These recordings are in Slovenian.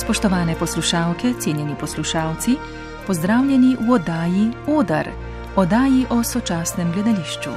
Spoštovane poslušalke, cenjeni poslušalci, pozdravljeni v oddaji Oder, oddaji o sočasnem gledališču.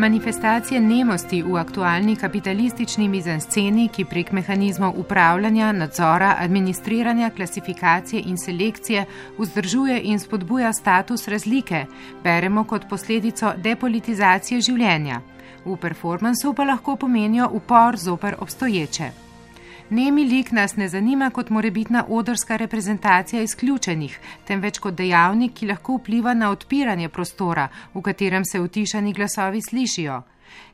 Manifestacije nemosti v aktualni kapitalistični mizansceni, ki prek mehanizmov upravljanja, nadzora, administriranja, klasifikacije in selekcije vzdržuje in spodbuja status razlike, beremo kot posledico depolitizacije življenja. V performansu pa lahko pomenijo upor zoper obstoječe. Nemi lik nas ne zanima kot morebitna odrska reprezentacija izključenih, temveč kot dejavnik, ki lahko vpliva na odpiranje prostora, v katerem se utišani glasovi slišijo.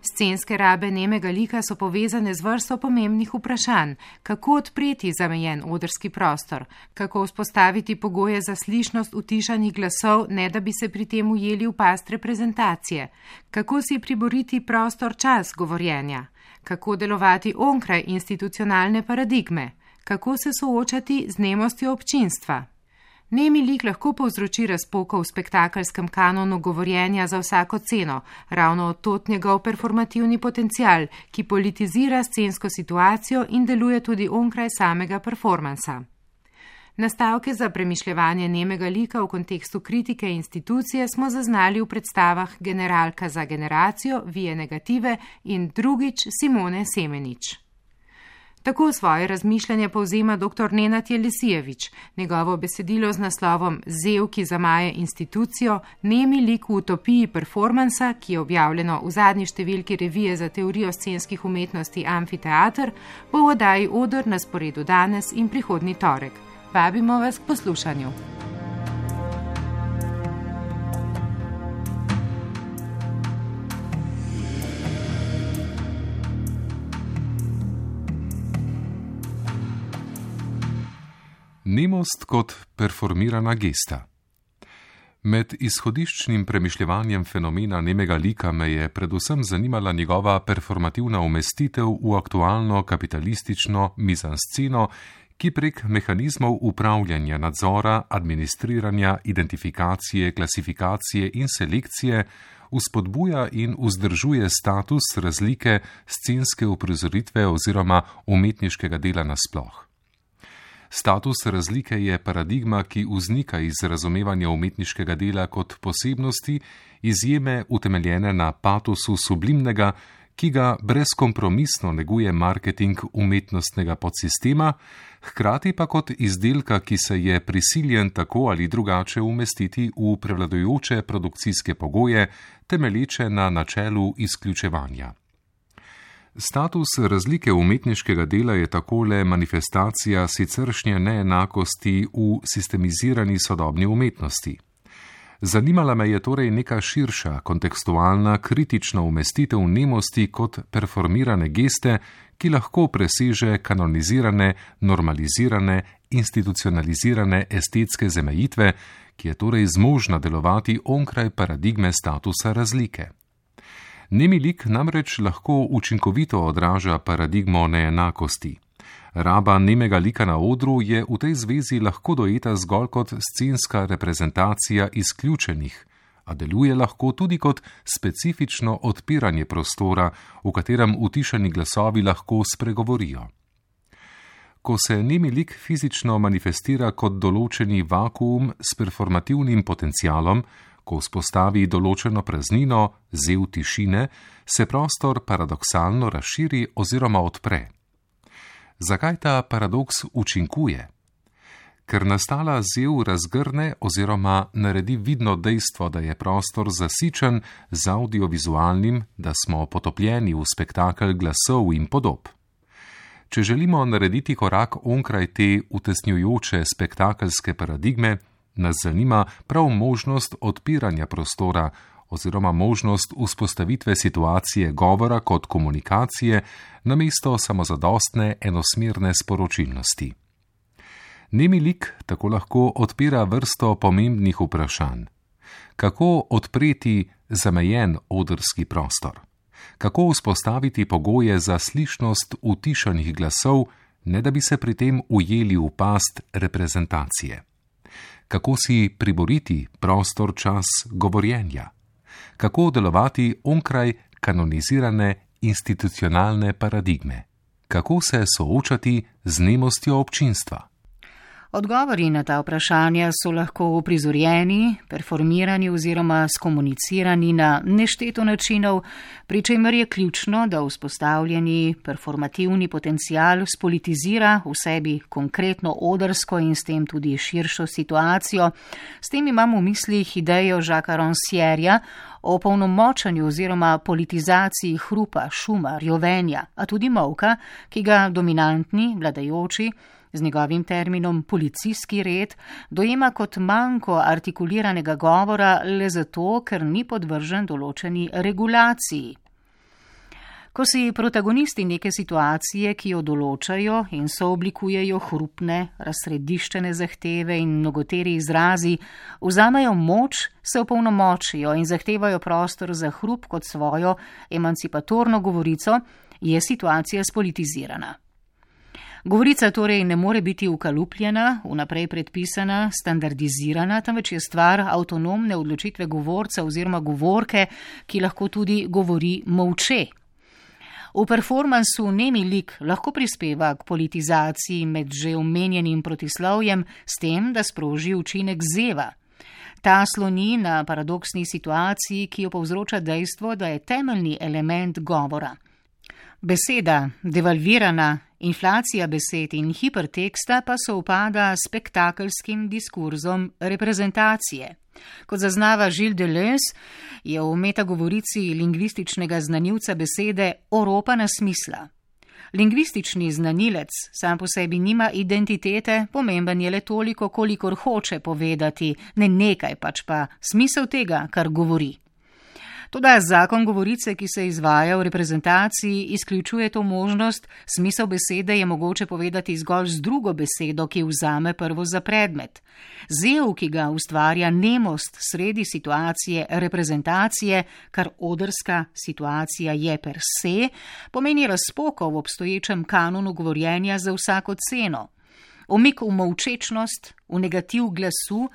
Scenske rabe nemega lika so povezane z vrsto pomembnih vprašanj, kako odpreti zamejen odrski prostor, kako vzpostaviti pogoje za slišnost utišanih glasov, ne da bi se pri tem ujeli v past reprezentacije, kako si priboriti prostor-čas govorjenja, kako delovati onkraj institucionalne paradigme, kako se soočati z nemostjo občinstva. Nemi lik lahko povzroči razpoko v spektakelskem kanonu govorjenja za vsako ceno, ravno od njegov performativni potencial, ki politizira scensko situacijo in deluje tudi onkraj samega performansa. Nastavke za premišljevanje nemega lika v kontekstu kritike institucije smo zaznali v predstavah Generalka za generacijo, Vie negative in drugič Simone Semenič. Tako svoje razmišljanje povzema dr. Nenad Jelisijevič. Njegovo besedilo z naslovom Zev, ki zamaje institucijo, nemi lik v utopiji performansa, ki je objavljeno v zadnji številki revije za teorijo scenskih umetnosti Amfiteater, bo v oddaji Oder na sporedu danes in prihodnji torek. Vabimo vas k poslušanju. Nemost kot performirana gesta. Med izhodiščnim premišljevanjem fenomena nemega lika me je predvsem zanimala njegova performativna umestitev v aktualno kapitalistično mizansceno, ki prek mehanizmov upravljanja, nadzora, administriranja, identifikacije, klasifikacije in selekcije vzpodbuja in vzdržuje status razlike scenske uprizoritve oziroma umetniškega dela nasploh. Status razlike je paradigma, ki vznika iz razumevanja umetniškega dela kot posebnosti, izjeme utemeljene na patosu sublimnega, ki ga brezkompromisno neguje marketing umetnostnega podsistema, hkrati pa kot izdelka, ki se je prisiljen tako ali drugače umestiti v prevladujoče produkcijske pogoje, temelječe na načelu izključevanja. Status razlike umetniškega dela je takole manifestacija siceršnje neenakosti v sistemizirani sodobni umetnosti. Zanimala me je torej neka širša, kontekstualna, kritična umestitev nemosti kot performirane geste, ki lahko preseže kanonizirane, normalizirane, institucionalizirane estetske zamejitve, ki je torej zmožna delovati onkraj paradigme statusa razlike. Nemi lik namreč lahko učinkovito odraža paradigmo neenakosti. Raba nemega lika na odru je v tej zvezi lahko dojeta zgolj kot scenska reprezentacija izključenih, a deluje lahko tudi kot specifično odpiranje prostora, v katerem utišani glasovi lahko spregovorijo. Ko se nemi lik fizično manifestira kot določeni vakuum s performativnim potencialom, ko vzpostavi določeno praznino, zev tišine, se prostor paradoksalno razširi oziroma odpre. Zakaj ta paradoks učinkuje? Ker nastala zev razgrne oziroma naredi vidno dejstvo, da je prostor zasičen z audiovizualnim, da smo potopljeni v spektakel glasov in podob. Če želimo narediti korak onkraj te utesnjujoče spektakelske paradigme, nas zanima prav možnost odpiranja prostora oziroma možnost vzpostavitve situacije govora kot komunikacije namesto samozadostne enosmerne sporočilnosti. Nemi lik tako lahko odpira vrsto pomembnih vprašanj. Kako odpreti zamejen odrski prostor? Kako vzpostaviti pogoje za slišnost utišanih glasov, ne da bi se pri tem ujeli v past reprezentacije? Kako si priboriti prostor, čas govorjenja? Kako delovati onkraj kanonizirane institucionalne paradigme? Kako se soočati z nemostjo občinstva? Odgovori na ta vprašanja so lahko uprizorjeni, performirani oziroma skomunicirani na nešteto načinov, pri čemer je ključno, da vzpostavljeni performativni potencial spolitizira v sebi konkretno odrsko in s tem tudi širšo situacijo. S tem imamo v mislih idejo Jacquesa Rancièreja o polnomočanju oziroma politizaciji hrupa, šuma, rjovenja, a tudi molka, ki ga dominantni, vladajoči, z njegovim terminom policijski red, dojema kot manko artikuliranega govora le zato, ker ni podvržen določeni regulaciji. Ko si protagonisti neke situacije, ki jo določajo in sooblikujejo hrupne, razsrediščene zahteve in mnogoteri izrazi, vzamejo moč, se opolnomočijo in zahtevajo prostor za hrup kot svojo emancipatorno govorico, je situacija spolitizirana. Govorica torej ne more biti ukalupljena, vnaprej predpisana, standardizirana, temveč je stvar avtonomne odločitve govorca oziroma govorke, ki lahko tudi govori molče. V performansu nemi lik lahko prispeva k politizaciji med že omenjenim protislovjem s tem, da sproži učinek zeva. Ta sloni na paradoksni situaciji, ki jo povzroča dejstvo, da je temeljni element govora. Beseda, devalvirana, inflacija besed in hiperteksta pa se upada s spektakelskim diskurzom reprezentacije. Kot zaznava Gilles Deleuze, je v metagovorici lingvističnega znanilca besede oropana smisla. Lingvistični znanilec sam po sebi nima identitete, pomemben je le toliko, kolikor hoče povedati, ne nekaj, pač pa smisel tega, kar govori. Toda zakon govorice, ki se izvaja v reprezentaciji, izključuje to možnost, smisel besede je mogoče povedati zgolj z drugo besedo, ki vzame prvo za predmet. Zev, ki ga ustvarja nemost sredi situacije reprezentacije, kar odrska situacija je per se, pomeni razpoko v obstoječem kanonu govorjenja za vsako ceno. Umik v molčečnost, v negativ glasu,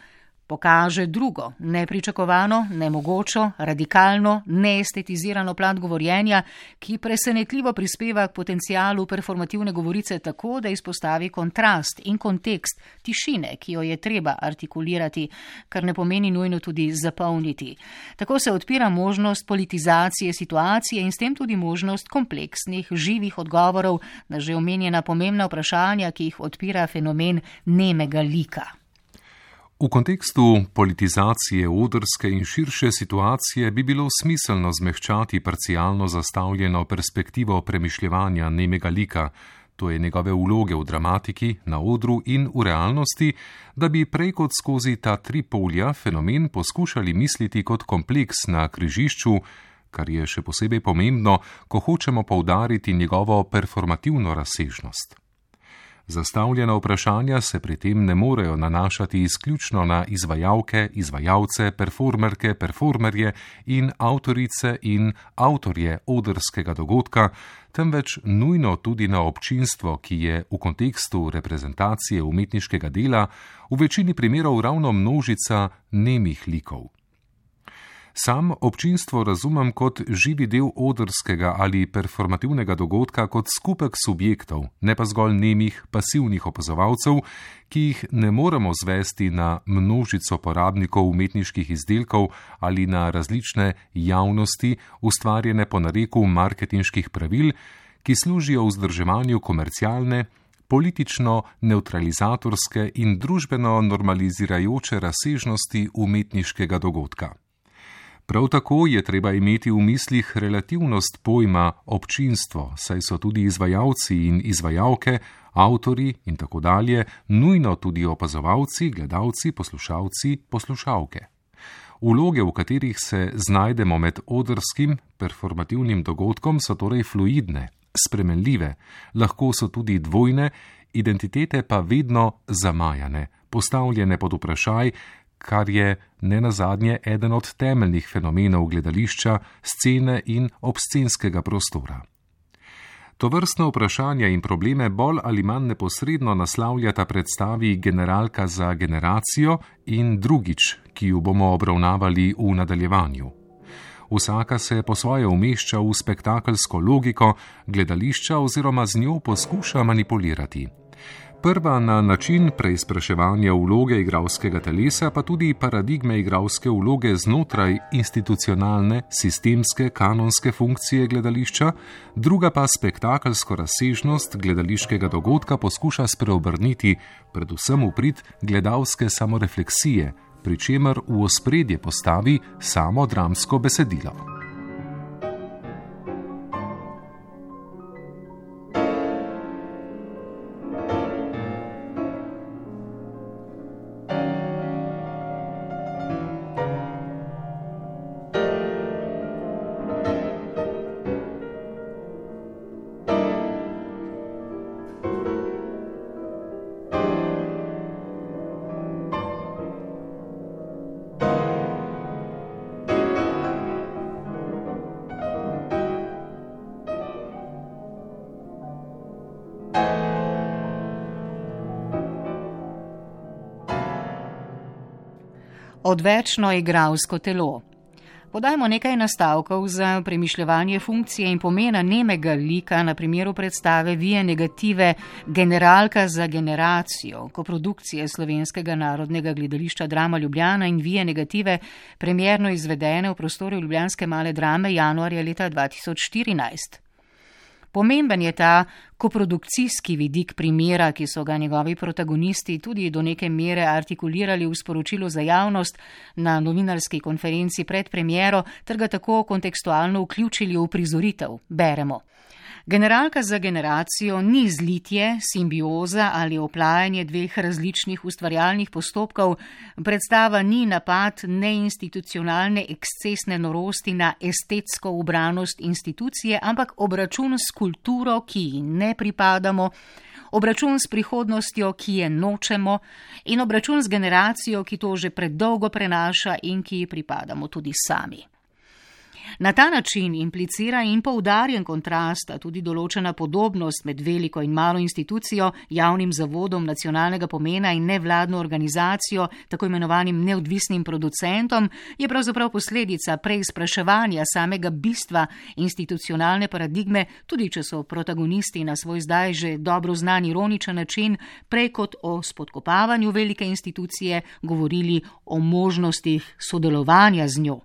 pokaže drugo, nepričakovano, nemogočo, radikalno, neestetizirano plat govorjenja, ki presenetljivo prispeva k potencialu performativne govorice tako, da izpostavi kontrast in kontekst tišine, ki jo je treba artikulirati, kar ne pomeni nujno tudi zapolniti. Tako se odpira možnost politizacije situacije in s tem tudi možnost kompleksnih, živih odgovorov na že omenjena pomembna vprašanja, ki jih odpira fenomen nemega lika. V kontekstu politizacije odrske in širše situacije bi bilo smiselno zmehčati parcialno zastavljeno perspektivo premišljevanja nemega lika, to je njegove vloge v dramatiki, na odru in v realnosti, da bi prej kot skozi ta tri polja fenomen poskušali misliti kot kompleks na križišču, kar je še posebej pomembno, ko hočemo poudariti njegovo performativno razsežnost. Zastavljena vprašanja se pri tem ne morejo nanašati izključno na izvajalke, izvajalce, performerke, performerje in avtorice in avtorje odrskega dogodka, temveč nujno tudi na občinstvo, ki je v kontekstu reprezentacije umetniškega dela v večini primerov ravno množica nemih likov. Sam občinstvo razumem kot živi del odrskega ali performativnega dogodka kot skupek subjektov, ne pa zgolj nemih, pasivnih opazovalcev, ki jih ne moremo zvesti na množico porabnikov umetniških izdelkov ali na različne javnosti, ustvarjene po nareku marketinških pravil, ki služijo vzdrževanju komercialne, politično neutralizatorske in družbeno normalizirajoče razsežnosti umetniškega dogodka. Prav tako je treba imeti v mislih relativnost pojma občinstvo, saj so tudi izvajalci in izvajalke, avtori in tako dalje, nujno tudi opazovalci, gledalci, poslušalci, poslušalke. Vloge, v katerih se znajdemo med odrskim, performativnim dogodkom, so torej fluidne, spremenljive, lahko so tudi dvojne, identitete pa vedno zamajane, postavljene pod vprašaj, kar je nenazadnje eden od temeljnih fenomenov gledališča, scene in obscenskega prostora. Tovrstna vprašanja in probleme bolj ali manj neposredno naslavljata predstavi Generalka za generacijo in Drugič, ki ju bomo obravnavali v nadaljevanju. Vsaka se po svoje umešča v spektakelsko logiko gledališča oziroma z njo poskuša manipulirati. Prva na način preizpraševanja vloge igralskega telesa, pa tudi paradigme igralske vloge znotraj institucionalne, sistemske, kanonske funkcije gledališča, druga pa spektakelsko razsežnost gledališkega dogodka poskuša spreobrniti predvsem v prid gledalske samorefleksije, pri čemer v ospredje postavi samo dramsko besedilo. Odvečno igralsko telo. Podajmo nekaj nastavkov za premišljevanje funkcije in pomena nemega lika na primeru predstave Via Negative Generalka za generacijo, koprodukcije Slovenskega narodnega gledališča Drama Ljubljana in Via Negative, premierno izvedene v prostoru ljubljanske Male drame januarja leta 2014. Pomemben je ta koprodukcijski vidik primera, ki so ga njegovi protagonisti tudi do neke mere artikulirali v sporočilu za javnost na novinarski konferenci pred premiero, ter ga tako kontekstualno vključili v prizoritev. Beremo. Generalka za generacijo ni zlitje, simbioza ali oplajanje dveh različnih ustvarjalnih postopkov, predstava ni napad neinstitucionalne ekscesne norosti na estetsko ubranost institucije, ampak obračun s kulturo, ki ji ne pripadamo, obračun s prihodnostjo, ki je nočemo, in obračun z generacijo, ki to že predolgo prenaša in ki ji pripadamo tudi sami. Na ta način implicira in poudarjen kontrasta tudi določena podobnost med veliko in malo institucijo, javnim zavodom nacionalnega pomena in nevladno organizacijo, tako imenovanim neodvisnim producentom, je pravzaprav posledica preizpraševanja samega bistva institucionalne paradigme, tudi če so protagonisti na svoj zdaj že dobro znan ironičen način prej kot o spodkopavanju velike institucije govorili o možnostih sodelovanja z njo.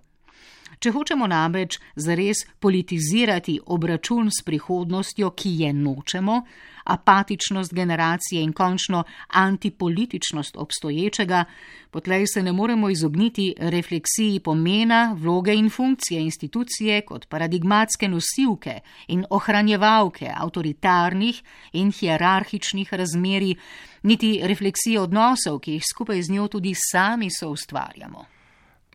Če hočemo namreč zares politizirati obračun s prihodnostjo, ki je nočemo, apatičnost generacije in končno antipolitičnost obstoječega, potlej se ne moremo izogniti refleksiji pomena, vloge in funkcije institucije kot paradigmatske nosilke in ohranjevalke avtoritarnih in hierarhičnih razmerij, niti refleksije odnosov, ki jih skupaj z njo tudi sami soustvarjamo.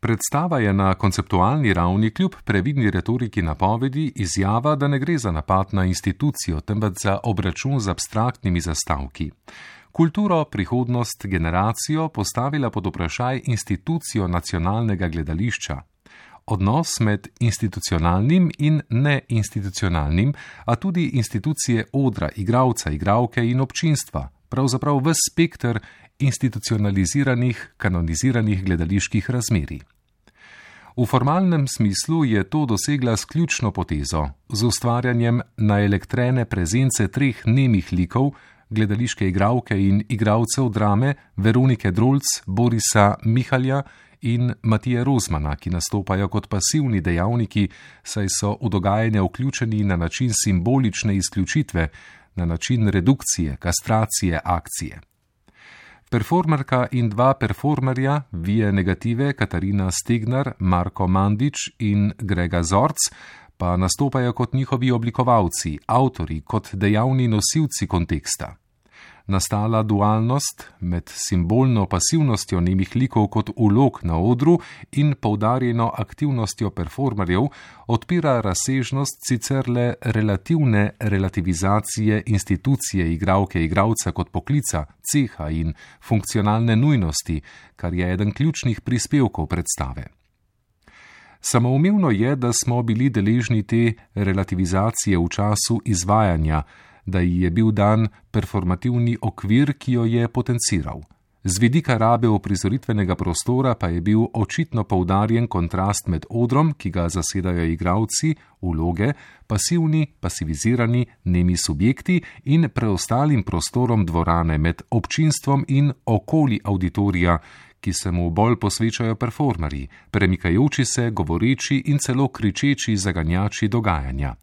Predstava je na konceptualni ravni kljub previdni retoriki napovedi izjava, da ne gre za napad na institucijo, temveč za obračun z abstraktnimi zastavki. Kulturo, prihodnost, generacijo postavila pod vprašaj institucijo nacionalnega gledališča. Odnos med institucionalnim in neinstitucionalnim, a tudi institucije odra, igralca, igralke in občinstva, pravzaprav ves spekter institucionaliziranih, kanoniziranih gledaliških razmerij. V formalnem smislu je to dosegla s ključno potezo, z ustvarjanjem naelektrene prezence treh nemih likov, gledališke igralke in igralcev drame Veronike Drolc, Borisa Mihalja in Matije Rozmana, ki nastopajo kot pasivni dejavniki, saj so v dogajanje vključeni na način simbolične izključitve, na način redukcije, kastracije, akcije. Performerka in dva performerja, Via Negative, Katarina Stegnar, Marko Mandič in Grega Zorc, pa nastopajo kot njihovi oblikovalci, avtori, kot dejavni nosilci konteksta. nastala dualnost med simbolno pasivnostjo nemih likov kot vlog na odru in poudarjeno aktivnostjo performerjev, odpira razsežnost sicer le relativne relativizacije institucije igralke-igralca kot poklica, ceha in funkcionalne nujnosti, kar je eden ključnih prispevkov predstave. Samoumevno je, da smo bili deležni te relativizacije v času izvajanja, da ji je bil dan performativni okvir, ki jo je potenciral. Z vidika rabe uprizoritvenega prostora pa je bil očitno poudarjen kontrast med odrom, ki ga zasedajo igralci, vloge, pasivni, pasivizirani, nemi subjekti in preostalim prostorom dvorane med občinstvom in okoli auditorija, ki se mu bolj posvečajo performerji, premikajoči se, govoreči in celo kričeči zaganjači dogajanja.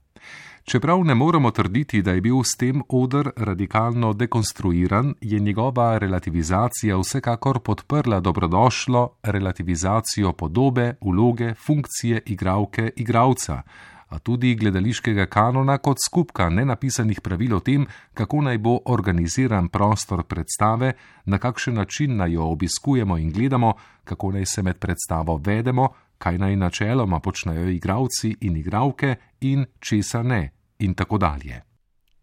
Čeprav ne moremo trditi, da je bil s tem oder radikalno dekonstruiran, je njegova relativizacija vsekakor podprla dobrodošlo relativizacijo podobe, vloge, funkcije igralke, igralca, a tudi gledališkega kanona kot skupka nenapisanih pravil o tem, kako naj bo organiziran prostor predstave, na kakšen način naj jo obiskujemo in gledamo, kako naj se med predstavo vedemo, kaj naj načeloma počnejo igralci in igralke in česa ne, in tako dalje.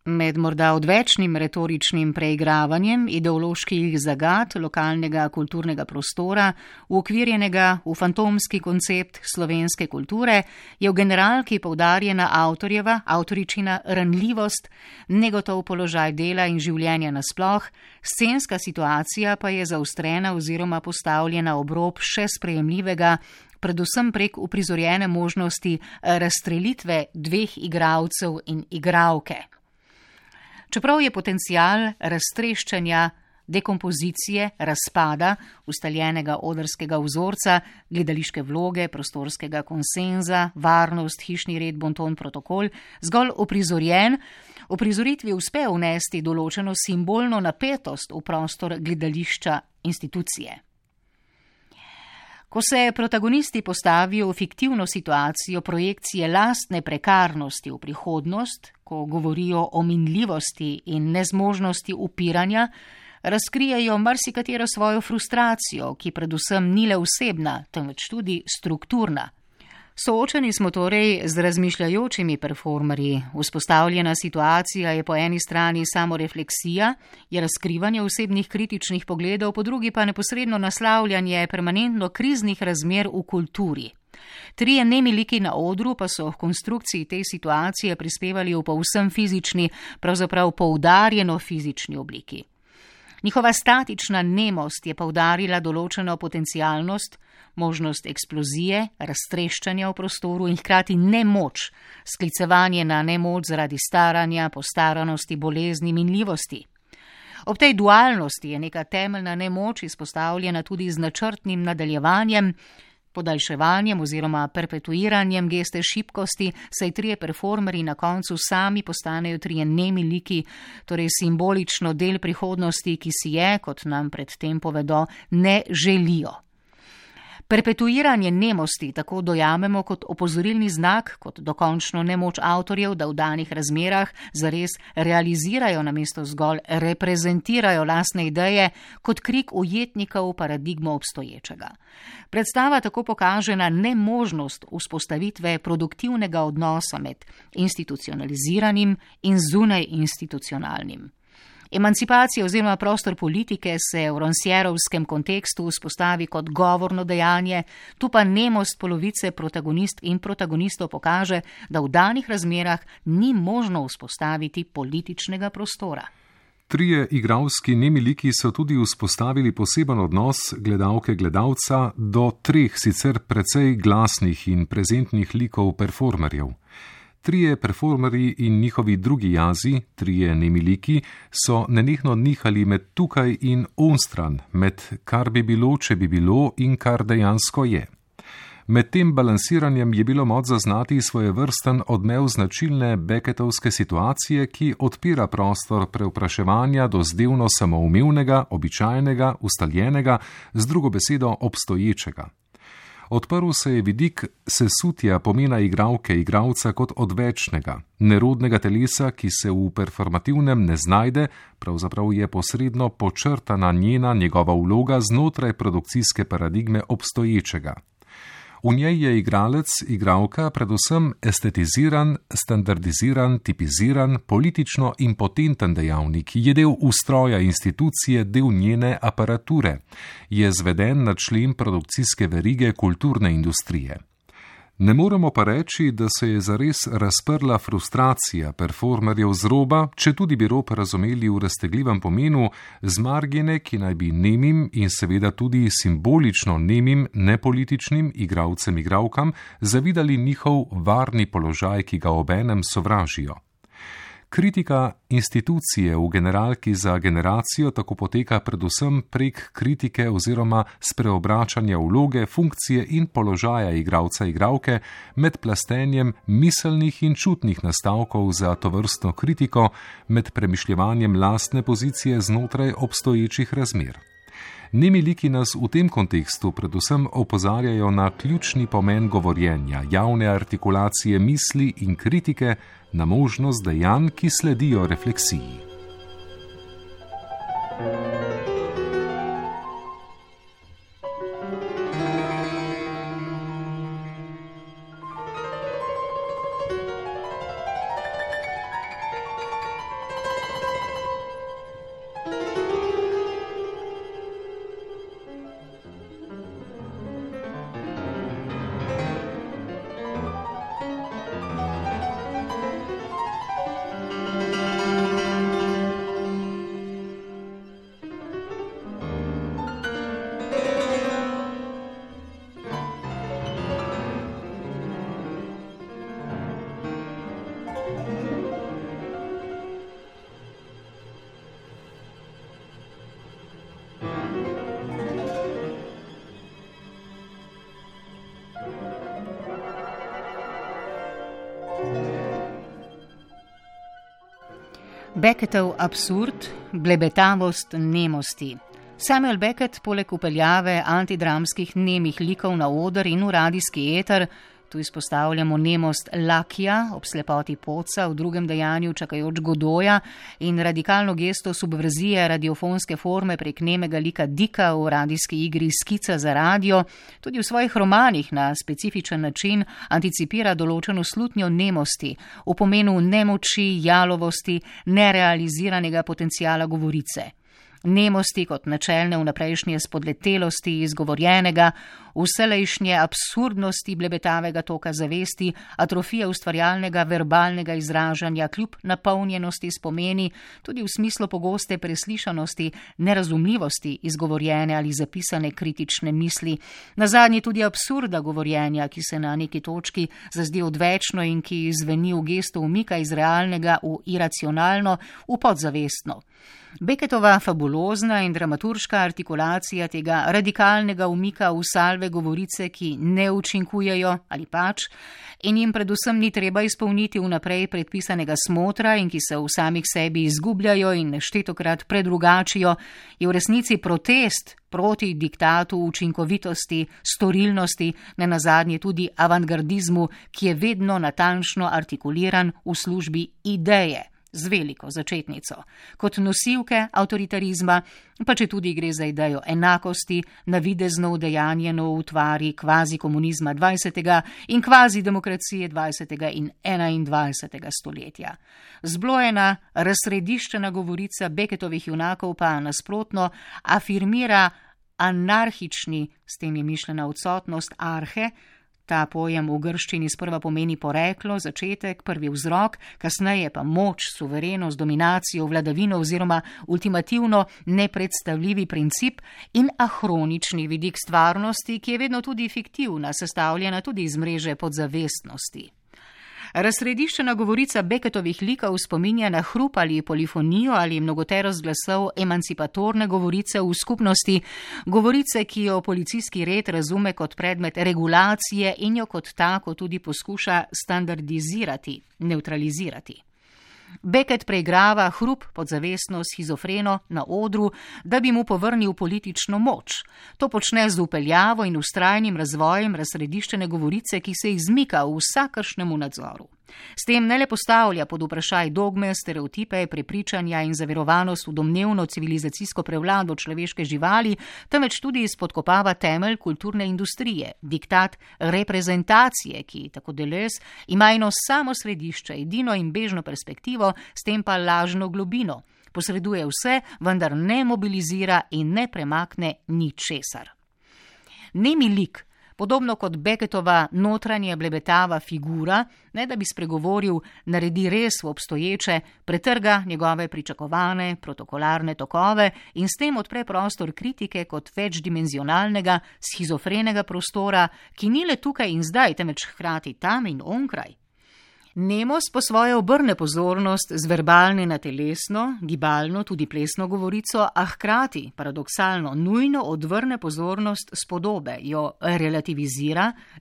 Med morda odvečnim retoričnim preigravanjem ideoloških zagat lokalnega kulturnega prostora, uokvirjenega v fantomski koncept slovenske kulture, je v generalki poudarjena avtoričina ranljivost, negotov položaj dela in življenja nasploh, scenska situacija pa je zaostrena oziroma postavljena ob rob še sprejemljivega, predvsem prek uprizorjene možnosti razstrelitve dveh igralcev in igralke. Čeprav je potencial raztreščanja, dekompozicije, razpada, ustaljenega odrskega vzorca, gledališke vloge, prostorskega konsenza, varnost, hišni red, bonton, protokol, zgolj uprizorjen, v prizoritvi uspe vnesti določeno simbolno napetost v prostor gledališča institucije. Ko se protagonisti postavijo v fiktivno situacijo projekcije lastne prekarnosti v prihodnost, ko govorijo o minljivosti in nezmožnosti upiranja, razkrijejo marsikatero svojo frustracijo, ki predvsem ni le osebna, temveč tudi strukturna. Soočeni smo torej z razmišljajočimi performerji. Vzpostavljena situacija je po eni strani samorefleksija, je razkrivanje osebnih kritičnih pogledov, po drugi pa neposredno naslavljanje permanentno kriznih razmer v kulturi. Trije nemi liki na odru pa so v konstrukciji te situacije prispevali v povsem fizični, pravzaprav poudarjeno fizični obliki. Njihova statična nemost je poudarila določeno potencialnost, možnost eksplozije, raztreščanja v prostoru in hkrati nemoč, sklicevanje na nemoč zaradi staranja, postaranosti, bolezni, minljivosti. Ob tej dualnosti je neka temeljna nemoč izpostavljena tudi z načrtnim nadaljevanjem, podaljševanjem oziroma perpetuiranjem geste šibkosti, saj trije performerji na koncu sami postanejo trije nemi liki, torej simbolično del prihodnosti, ki si je, kot nam predtem povedo, ne želijo. Perpetuiranje nemosti tako dojamemo kot opozorilni znak, kot dokončno nemoč avtorjev, da v danih razmerah zares realizirajo namesto zgolj reprezentirajo lastne ideje, kot krik ujetnika v paradigmo obstoječega. Predstava tako pokaže na nemožnost vzpostavitve produktivnega odnosa med institucionaliziranim in zunaj institucionalnim. Emancipacija oziroma prostor politike se v Rancièreovskem kontekstu vzpostavi kot govorno dejanje, tu pa nemost polovice protagonist in protagonistov pokaže, da v danih razmerah ni možno vzpostaviti političnega prostora. Trije igralski nemi liki so tudi vzpostavili poseben odnos gledalke-gledalca do treh sicer precej glasnih in prezentnih likov performerjev. Trije performerji in njihovi drugi jazi, trije nemi liki, so nenehno nihali med tukaj in onstran, med kar bi bilo, če bi bilo in kar dejansko je. Med tem balansiranjem je bilo moč zaznati svojevrsten odmev značilne Becketovske situacije, ki odpira prostor prevpraševanja do zdevno samoumevnega, običajnega, ustaljenega, z drugo besedo obstoječega. Odprl se je vidik sesutja pomena igralke, igralca kot odvečnega, nerodnega telesa, ki se v performativnem ne znajde, pravzaprav je posredno počrtana njegova vloga znotraj produkcijske paradigme obstoječega. V njej je igralec, igralka predvsem estetiziran, standardiziran, tipiziran, politično impotenten dejavnik, je del ustroja institucije, del njene aparature, je zveden na člen produkcijske verige kulturne industrije. Ne moremo pa reči, da se je zares razprla frustracija performerjev z roba, če tudi bi rob razumeli v raztegljivem pomenu, z margine, ki naj bi nemim in seveda tudi simbolično nemim, nepolitičnim igralcem, igralkam zavidali njihov varni položaj, ki ga obenem sovražijo. Kritika institucije v generalki za generacijo tako poteka predvsem prek kritike oziroma spreobračanja vloge, funkcije in položaja igralca, igralke med plastenjem miselnih in čutnih nastavkov za tovrstno kritiko, med premišljevanjem lastne pozicije znotraj obstoječih razmer. Nemi liki nas v tem kontekstu predvsem opozarjajo na ključni pomen govorjenja, javne artikulacije misli in kritike, na možnost dejanj, ki sledijo refleksiji. Becketov absurd, blebetavost nemosti. Samuel Beckett poleg upeljave antidramskih nemih likov na oder in v radijski eter, tu izpostavljamo nemost Lakija ob slepoti Poca, v drugem dejanju čakajoč Godoja in radikalno gesto subverzije radiofonske forme prek nemega lika Dika v radijski igri Skica za radio, tudi v svojih romanih na specifičen način anticipira določeno slutnjo nemosti, v pomenu nemoči, jalovosti, nerealiziranega potencijala govorice. Nemosti kot načelne vnaprejšnje spodletelosti izgovorjenega, vselejšnje absurdnosti blebetavega toka zavesti, atrofije ustvarjalnega verbalnega izražanja kljub napolnjenosti spomeni, tudi v smislu pogoste preslišanosti, nerazumljivosti izgovorjene ali zapisane kritične misli, nazadnje tudi absurda govorjenja, ki se na neki točki zazdi odvečno in ki zveni v gestu umika iz realnega v iracionalno, v podzavestno. Becketova fabulozna in dramaturška artikulacija tega radikalnega umika v salve govorice, ki ne učinkujejo ali pač, in jim predvsem ni treba izpolniti vnaprej predpisanega smotra in ki se v samih sebi izgubljajo in neštetokrat predrugačijo, je v resnici protest proti diktatu učinkovitosti, storilnosti, nenazadnje tudi avantgardizmu, ki je vedno natančno artikuliran v službi ideje, z veliko začetnico, kot nosilke avtoritarizma, pa če tudi gre za idejo enakosti, navidezno udejanjeno v utvari kvazi komunizma 20. in kvazi demokracije 20. in 21. stoletja. Zblojena, razsrediščena govorica Becketovih junakov pa nasprotno afirmira anarhični, s tem je mišljena odsotnost arhe. Ta pojem v grščini sprva pomeni poreklo, začetek, prvi vzrok, kasneje pa moč, suverenost, dominacijo, vladavino oziroma ultimativno nepredstavljivi princip in ahronični vidik stvarnosti, ki je vedno tudi fiktivna, sestavljena tudi iz mreže podzavestnosti. Razsrediščena govorica Becketovih likov spominja na hrup ali polifonijo ali mnogoterost glasov emancipatorne govorice v skupnosti, govorice, ki jo policijski red razume kot predmet regulacije in jo kot tako tudi poskuša standardizirati, neutralizirati. Beckett preigrava hrup podzavestno shizofreno na odru, da bi mu povrnil politično moč. To počne z upeljavo in vztrajnim razvojem razsrediščene govorice, ki se izmika vsakršnemu nadzoru. S tem ne le postavlja pod vprašaj dogme, stereotipe, prepričanja in zaverovanost v domnevno civilizacijsko prevlado človeške živali, temveč tudi spodkopava temelj kulturne industrije, diktat reprezentacije, ki, tako Deleuze, ima eno samo središče, edino in bežno perspektivo, s tem pa lažno globino. Posreduje vse, vendar ne mobilizira in ne premakne ničesar. Nemi lik, podobno kot Beckettova notranje blebetava figura, ne da bi spregovoril, naredi res v obstoječe, pretrga njegove pričakovane, protokolarne tokove in s tem odpre prostor kritike kot večdimenzionalnega, shizofrenega prostora, ki ni le tukaj in zdaj, temveč hkrati tam in onkraj. Nemos po svoje obrne pozornost z verbalne na telesno, gibalno, tudi plesno govorico, a hkrati, paradoksalno, nujno odvrne pozornost s podobe, jo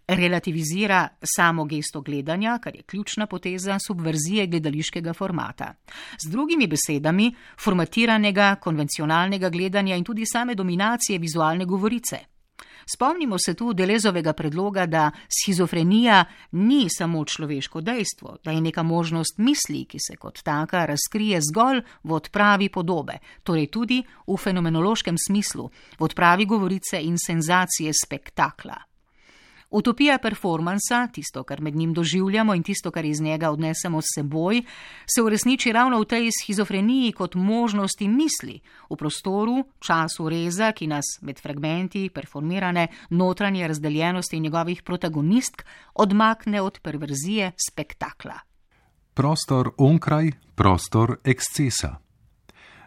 relativizira samo gesto gledanja, kar je ključna poteza subverzije gledališkega formata. Z drugimi besedami, formatiranega, konvencionalnega gledanja in tudi same dominacije vizualne govorice. Spomnimo se tu Deleuzeovega predloga, da shizofrenija ni samo človeško dejstvo, da je neka možnost misli, ki se kot taka razkrije zgolj v odpravi podobe, torej tudi v fenomenološkem smislu, v odpravi govorice in senzacije spektakla. Utopija performansa, tisto, kar med njim doživljamo in tisto, kar iz njega odnesemo s seboj, se uresniči ravno v tej shizofreniji kot možnosti misli, v prostoru, času reza, ki nas med fragmenti performirane notranje razdeljenosti njegovih protagonistk odmakne od perverzije spektakla. Prostor onkraj, prostor ekscesa.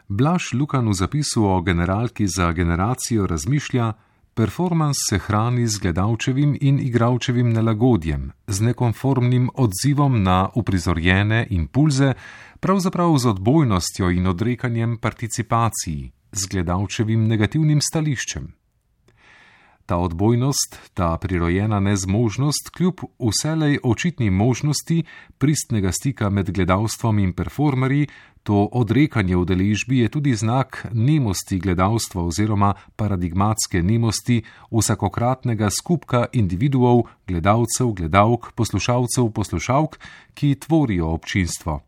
Blaž Lukan v zapisu o generalki za generacijo razmišlja: performans se hrani z gledalčevim in igralčevim nelagodjem, z nekonformnim odzivom na uprizorjene impulze, pravzaprav z odbojnostjo in odrekanjem participaciji, z gledalčevim negativnim stališčem. Ta odbojnost, ta prirojena nezmožnost, kljub vselej očitni možnosti pristnega stika med gledalstvom in performerji, to odrekanje udeležbi je tudi znak nemosti gledalstva oziroma paradigmatske nemosti vsakokratnega skupka individuov, gledalcev, gledalk, poslušalcev, poslušalk, ki tvorijo občinstvo.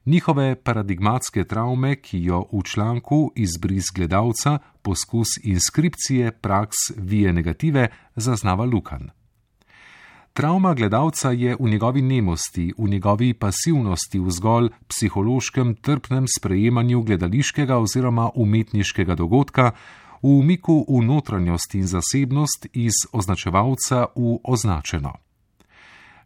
Njihove paradigmatske travme, ki jo v članku Izbris gledalca, poskus inskripcije praks vije negative, zaznava Lukan. Travma gledalca je v njegovi nemosti, v njegovi pasivnosti, v zgolj psihološkem trpnem sprejemanju gledališkega oziroma umetniškega dogodka, v umiku v notranjost in zasebnost iz označevalca v označeno.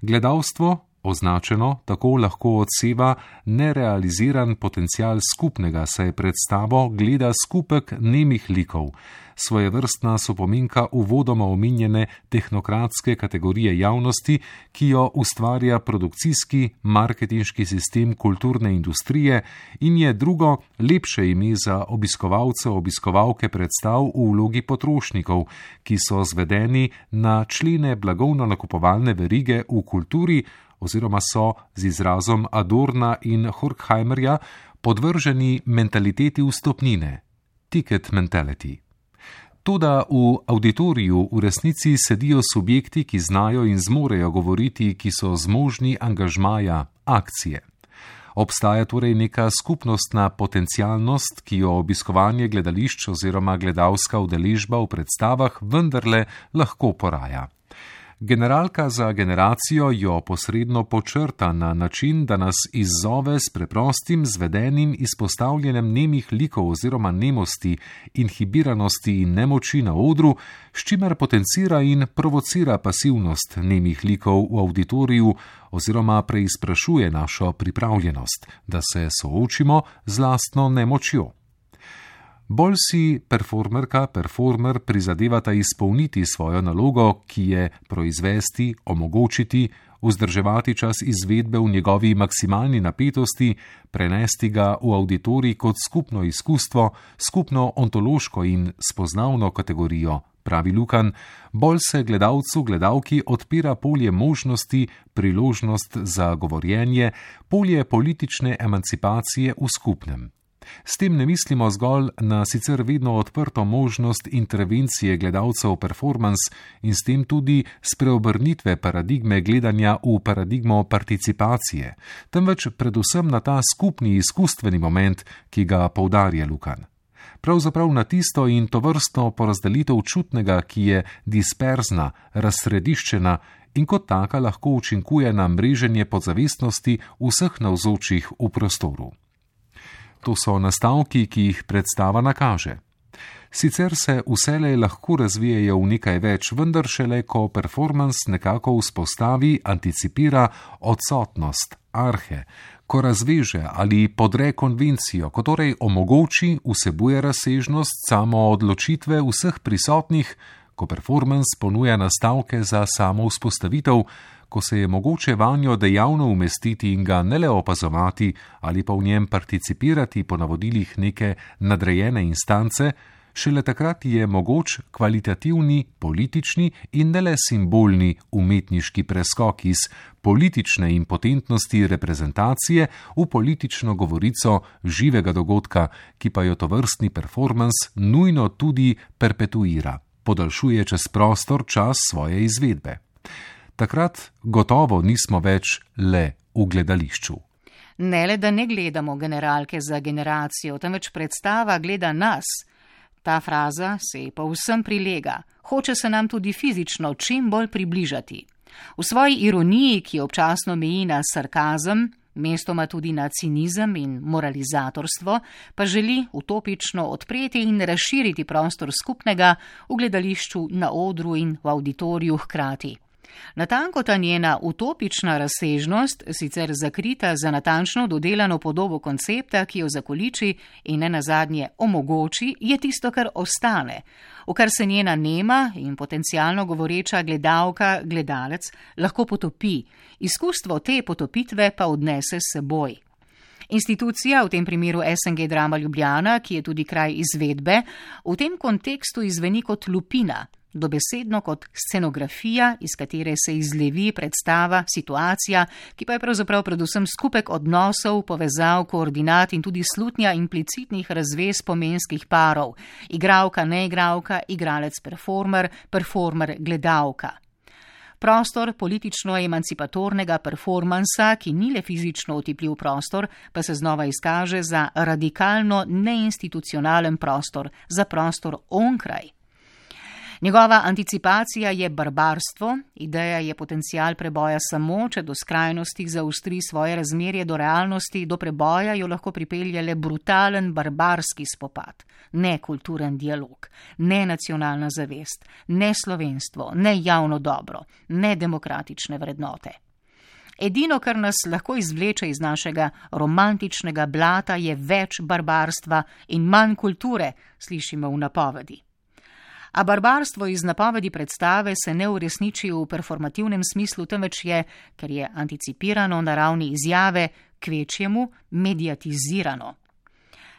Gledalstvo, označeno, tako lahko odseva nerealiziran potencial skupnega, saj predstavo gleda skupek nemih likov, svojevrstna sopomenka uvodoma omenjene tehnokratske kategorije javnosti, ki jo ustvarja produkcijski, marketinški sistem kulturne industrije in je drugo, lepše ime za obiskovalce, obiskovalke predstav v vlogi potrošnikov, ki so zvedeni na člene blagovno-nakupovalne verige v kulturi oziroma so z izrazom Adorna in Horkheimerja podvrženi mentaliteti vstopnine, ticket mentality. Toda v auditoriju v resnici sedijo subjekti, ki znajo in zmorejo govoriti, ki so zmožni angažmaja, akcije. Obstaja torej neka skupnostna potencialnost, ki jo obiskovanje gledališč oziroma gledalska udeležba v predstavah vendarle lahko poraja. Generalka za generacijo jo posredno počrta na način, da nas izzove s preprostim, zvedenim izpostavljanjem nemih likov oziroma nemosti, inhibiranosti in nemoči na odru, s čimer potencira in provocira pasivnost nemih likov v auditoriju oziroma preizprašuje našo pripravljenost, da se soočimo z lastno nemočjo. Bolj si performerka, performer prizadevata izpolniti svojo nalogo, ki je proizvesti, omogočiti, vzdrževati čas izvedbe v njegovi maksimalni napetosti, prenesti ga v auditorij kot skupno izkustvo, skupno ontološko in spoznavno kategorijo pravi Lukan, bolj se gledalki odpira polje možnosti, priložnost za govorjenje, polje politične emancipacije v skupnem. S tem ne mislimo zgolj na sicer vedno odprto možnost intervencije gledalcev v performans in s tem tudi spreobrnitve paradigme gledanja v paradigmo participacije, temveč predvsem na ta skupni izkustveni moment, ki ga poudarja Lukan. Pravzaprav na tisto in tovrstno porazdelitev čutnega, ki je disperzna, razsrediščena in kot taka lahko učinkuje na mreženje podzavestnosti vseh navzočih v prostoru. To so nastavki, ki jih predstava nakaže. Sicer se vselej lahko razvijajo v nekaj več, vendar šele, ko performans nekako vzpostavi, anticipira odsotnost, arhe, ko razveže ali podre konvencijo, ko torej omogoči, vsebuje razsežnost samo odločitve vseh prisotnih, ko performans ponuja nastavke za samo vzpostavitev, ko se je mogoče vanjo dejavno umestiti in ga ne le opazovati ali pa v njem participirati po navodilih neke nadrejene instance, šele takrat je mogoč kvalitativni, politični in ne le simbolni umetniški preskok iz politične impotentnosti reprezentacije v politično govorico živega dogodka, ki pa jo tovrstni performans nujno tudi perpetuira, podaljšuje čez prostor čas svoje izvedbe. Takrat gotovo nismo več le v gledališču. Ne le, da ne gledamo generalke za generacijo, temveč predstava gleda nas. Ta fraza se povsem prilega, hoče se nam tudi fizično čim bolj približati. V svoji ironiji, ki občasno meji na sarkazem, mestoma tudi na cinizem in moralizatorstvo, pa želi utopično odpreti in razširiti prostor skupnega v gledališču, na odru in v auditoriju hkrati. Natanko ta njena utopična razsežnost, sicer zakrita za natančno dodelano podobo koncepta, ki jo zakoliči in ne nazadnje omogoči, je tisto, kar ostane, v kar se njena nema in potencialno govoreča gledalka, gledalec lahko potopi, izkustvo te potopitve pa odnese s seboj. Institucija, v tem primeru SNG Drama Ljubljana, ki je tudi kraj izvedbe, v tem kontekstu izveni kot lupina, dobesedno kot scenografija, iz katere se izlevi predstava, situacija, ki pa je pravzaprav predvsem skupek odnosov, povezav, koordinat in tudi slutnja implicitnih razvez pomenskih parov, igralka, neigralka, igralec, performer, performer, gledalka. Prostor politično-emancipatornega performansa, ki ni le fizično otipljiv prostor, pa se znova izkaže za radikalno neinstitucionalen prostor, za prostor onkraj. Njegova anticipacija je barbarstvo, ideja je potencial preboja samo, če do skrajnosti zaustri svoje razmerje do realnosti, do preboja jo lahko pripelje le brutalen barbarski spopad, ne kulturen dialog, ne nacionalna zavest, ne slovenstvo, ne javno dobro, ne demokratične vrednote. Edino, kar nas lahko izvleče iz našega romantičnega blata, je več barbarstva in manj kulture, slišimo v napovedi. A barbarstvo iz napovedi predstave se ne uresniči v performativnem smislu, temveč je, ker je anticipirano na ravni izjave, kvečjemu mediatizirano.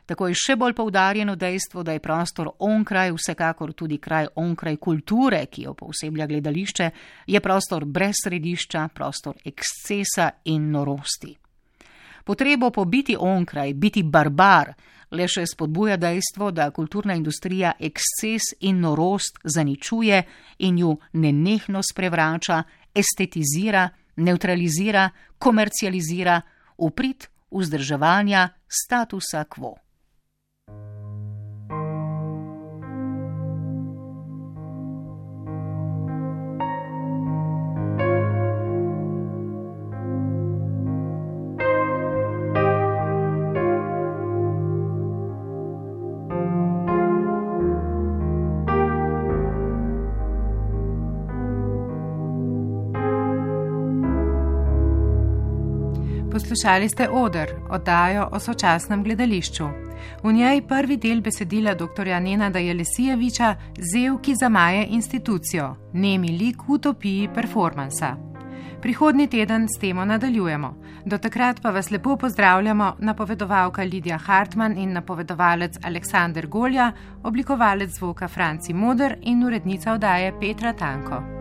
Tako je še bolj poudarjeno dejstvo, da je prostor onkraj, vsekakor tudi kraj onkraj kulture, ki jo pooseblja gledališče, je prostor brez središča, prostor ekscesa in norosti. Potrebo po biti onkraj, biti barbar, le še spodbuja dejstvo, da kulturna industrija eksces in norost zaničuje in ju nenehno sprevrača, estetizira, nevtralizira, komercializira v prid vzdrževanja statusa quo. Poslušali ste Oder, oddajo o sočasnem gledališču. V njej prvi del besedila dr. Nenada Jelesijeviča Zev, ki zamaje institucijo, nemi lik v utopiji performansa. Prihodnji teden s temo nadaljujemo. Do takrat pa vas lepo pozdravljamo napovedovalka Lidija Hartmann in napovedovalec Aleksander Golja, oblikovalec zvoka Franci Moder in urednica oddaje Petra Tanko.